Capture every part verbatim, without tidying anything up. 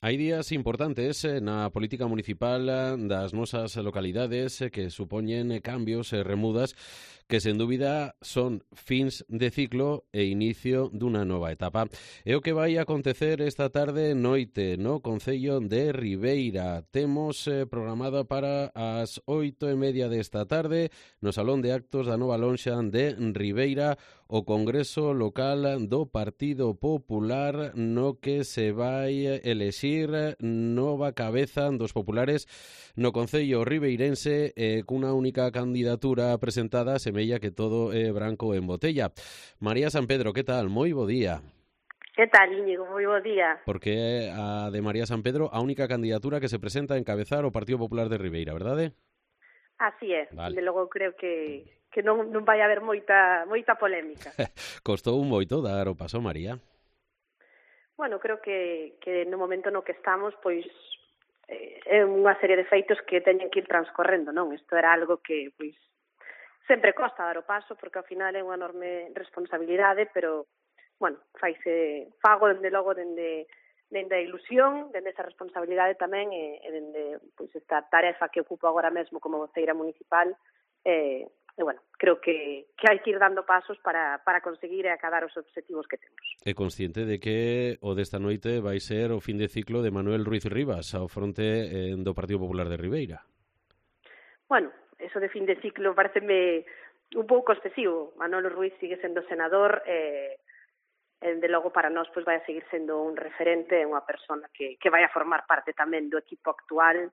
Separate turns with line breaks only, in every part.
Hai días importantes eh, na política municipal eh, das nosas localidades eh, que supoñen eh, cambios e remudas que, sen dúbida, son fins de ciclo e inicio dunha nova etapa. É o que vai acontecer esta tarde noite no Concello de Ribeira. Temos eh, programada para as oito e media desta tarde no Salón de Actos da Nova Lonxa de Ribeira o Congreso Local do Partido Popular, no que se vai elexir nova cabeza dos populares no Concello ribeirense e cunha única candidatura presentada, semella que todo é branco en botella. María San Pedro, que tal? Moi bo día.
Que tal, Íñigo? Moi bo día.
Porque a de María San Pedro a única candidatura que se presenta a encabezar o Partido Popular de Ribeira, verdade?
Así é,
vale.
De logo creo que, que non, non vai haber moita moita polémica.
Costou un moito dar o paso, María.
Bueno, creo que, que no momento no que estamos, pois, eh, é unha serie de feitos que teñen que ir transcorrendo, non? Isto era algo que, pois, sempre costa dar o paso, porque ao final é unha enorme responsabilidade, pero, bueno, faise fago, dende logo, dende, dende a ilusión, dende esa responsabilidade tamén, e, e dende, pois, esta tarefa que ocupo agora mesmo como voceira municipal, eh, E, bueno, creo que, que hai que ir dando pasos para, para conseguir e acadar os obxectivos que temos.
É consciente de que o desta noite vai ser o fin de ciclo de Manuel Ruiz Rivas ao fronte eh, do Partido Popular de Ribeira?
Bueno, eso de fin de ciclo pareceme un pouco excesivo. Manuel Ruiz sigue sendo senador e, eh, de logo para nós pois vai a seguir sendo un referente, unha persona que, que vai a formar parte tamén do equipo actual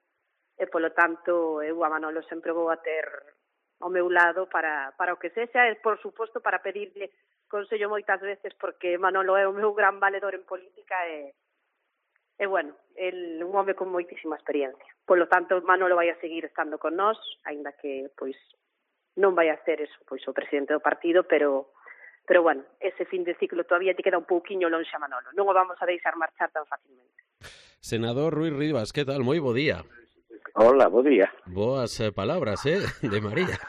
e, polo tanto, eu a Manolo sempre vou a ter ao meu lado para, para o que sexa e, por suposto, para pedirle consello moitas veces, porque Manolo é o meu gran valedor en política e, e bueno, el un home con moitísima experiencia. Por lo tanto, Manolo vai a seguir estando con nós, aínda que, pois, non vai a ser eso, pois, o presidente do partido, pero, pero bueno, ese fin de ciclo todavía te queda un pouquiño lonxe a Manolo. Non o vamos a deixar marchar tan facilmente.
Senador Ruiz Rivas, que tal? Moi bo día.
Hola, bo día.
Boas eh, palabras, eh, de María.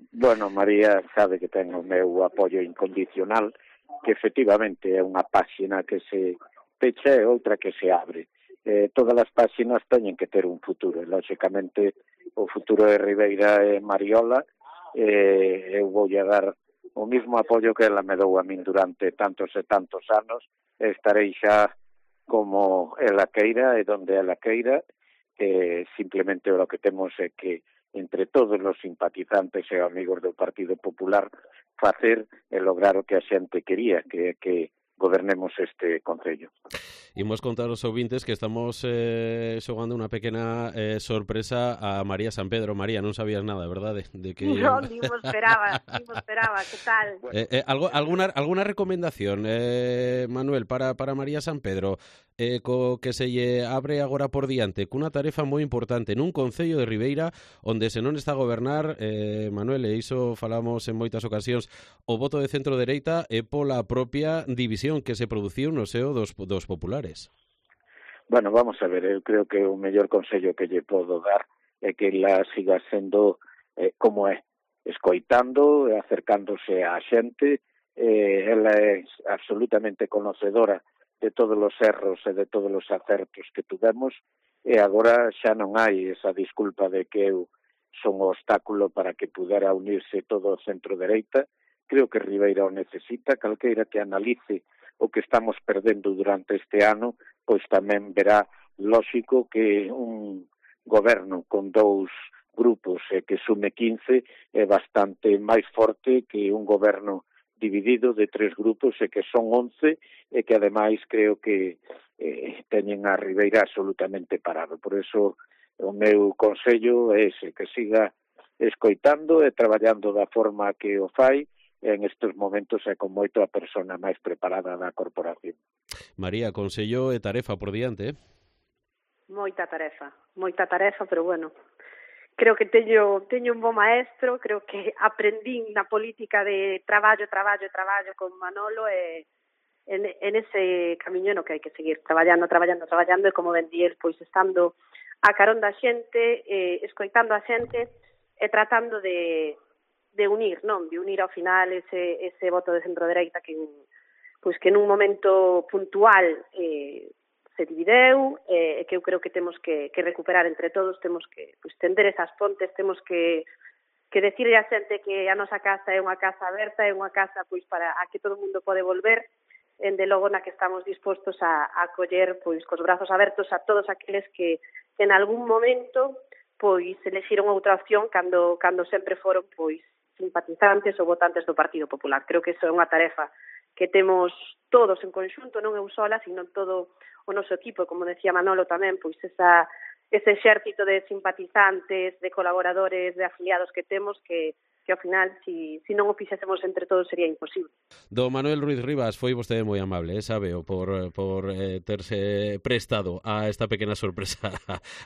Bueno, María sabe que ten o meu apoio incondicional, que efectivamente é unha páxina que se pecha e outra que se abre. Eh, todas as páxinas teñen que ter un futuro, e, lóxicamente, o futuro de Ribeira é Mariola, e eu voulle dar o mismo apoio que ela me dou a min durante tantos e tantos anos, e estarei xa como ela queira e donde ela queira. Eh, simplemente o que temos é que entre todos os simpatizantes e amigos do Partido Popular facer e lograr o que a xente quería, que é que gobernemos este concello.
Imos contar aos ouvintes que estamos eh, xogando unha pequena eh, sorpresa a María San Pedro. María, non sabías nada, verdade? De que...
Non, ni mo esperaba, ni mo esperaba, que tal?
Eh, eh, algo, alguna, alguna recomendación, eh, Manuel, para, para María San Pedro, eh, co que se lle abre agora por diante, cunha tarefa moi importante nun Concello de Ribeira, onde se non está a gobernar, eh, Manuel, e iso falamos en moitas ocasións, o voto de centro-dereita é pola propia división que se produciu no seo dos, dos populares.
Bueno, vamos a ver, eu creo que o mellor consello que lle podo dar é que ela siga sendo eh, como é, escoitando e acercándose á xente. Eh, ela é absolutamente conocedora de todos os erros e de todos os acertos que tuvemos, e agora xa non hai esa disculpa de que eu son o obstáculo para que pudera unirse todo o centro-dereita. Creo que Ribeira o necesita, calqueira que analice o que estamos perdendo durante este ano, pois tamén verá lóxico que un goberno con dous grupos e que sume quince é bastante máis forte que un goberno dividido de tres grupos e que son once e que ademais creo que eh, teñen a Ribeira absolutamente parado. Por eso o meu consello é ese, que siga escoitando e traballando da forma que o fai. En estes momentos é con moito a persona máis preparada da corporación.
María, consello e tarefa por diante, eh?
Moita tarefa, moita tarefa, pero bueno, creo que teño, teño un bo maestro, creo que aprendín na política de traballo, traballo, traballo con Manolo e en, en ese camiño no que hai que seguir traballando, traballando, traballando e como ben di el, pois estando a carón da xente, eh, escoitando a xente e tratando de de unir, non? De unir ao final ese, ese voto de centro-dereita que, pois que nun momento puntual eh, se divideu e eh, que eu creo que temos que, que recuperar entre todos, temos que pues, tender esas pontes, temos que que decirle a xente que a nosa casa é unha casa aberta, é unha casa pois para a que todo o mundo pode volver, en de logo na que estamos dispostos a, a acoller pois cos brazos abertos a todos aqueles que, que en algún momento pois elexiron outra opción cando cando sempre foron pois simpatizantes ou votantes do Partido Popular. Creo que iso é unha tarefa que temos todos en conxunto, non eu sola, sino todo o noso equipo, como decía Manolo tamén, pois esa ese exército de simpatizantes, de colaboradores, de afiliados que temos que, que ao final, si, si non o fixésemos entre todos, sería imposible.
Do Manuel Ruiz Rivas, foi vostede moi amable, eh, sabeo, por, por eh, terse prestado a esta pequena sorpresa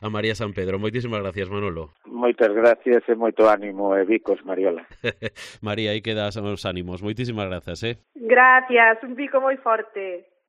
a María San Pedro. Moitísimas gracias, Manolo.
Moitas gracias e moito ánimo e bicos, Mariola.
María, aí quedas os ánimos. Moitísimas grazas, eh?
Gracias, un bico moi forte.